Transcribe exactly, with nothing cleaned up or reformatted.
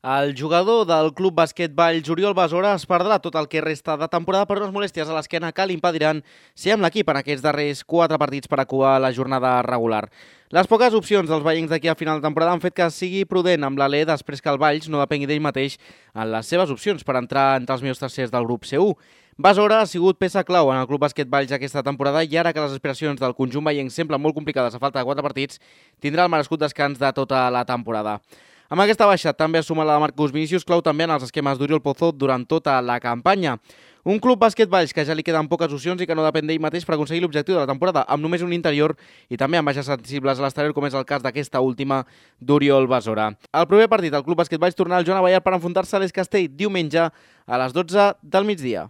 El jugador del Club Bàsquet Valls, Oriol Besora, es perdrà tot el que resta de temporada per unes molèsties a l'esquena que li impediran ser amb l'equip en aquests darrers quatre partits per acabar la jornada regular. Les poques opcions dels vallencs d'aquí a final de temporada han fet que sigui prudent amb l'Alè després que el Valls no depengui d'ell mateix en les seves opcions per entrar entre els millors tercers del grup C u. Besora ha sigut peça clau en el Club Bàsquet Valls aquesta temporada i ara que les aspiracions del conjunt vallenc semblen molt complicades a falta de quatre partits, tindrà el merescut descans de tota la temporada. Amb aquesta baixa també es suma la de Marcus Vinícius, clau també en els esquemes d'Oriol Pozo durant tota la campanya. Un Club Bàsquet Valls que ja li queden poques opcions i que no depèn d'ell mateix per aconseguir l'objectiu de la temporada, amb només un interior i també amb baixes sensibles a l'exterior, com és el cas d'aquesta última d'Oriol Besora. El proper partit, el Club Bàsquet Valls tornarà al Joan Abellar per enfrontar-se a l'Es Castell diumenge a les dotze del migdia.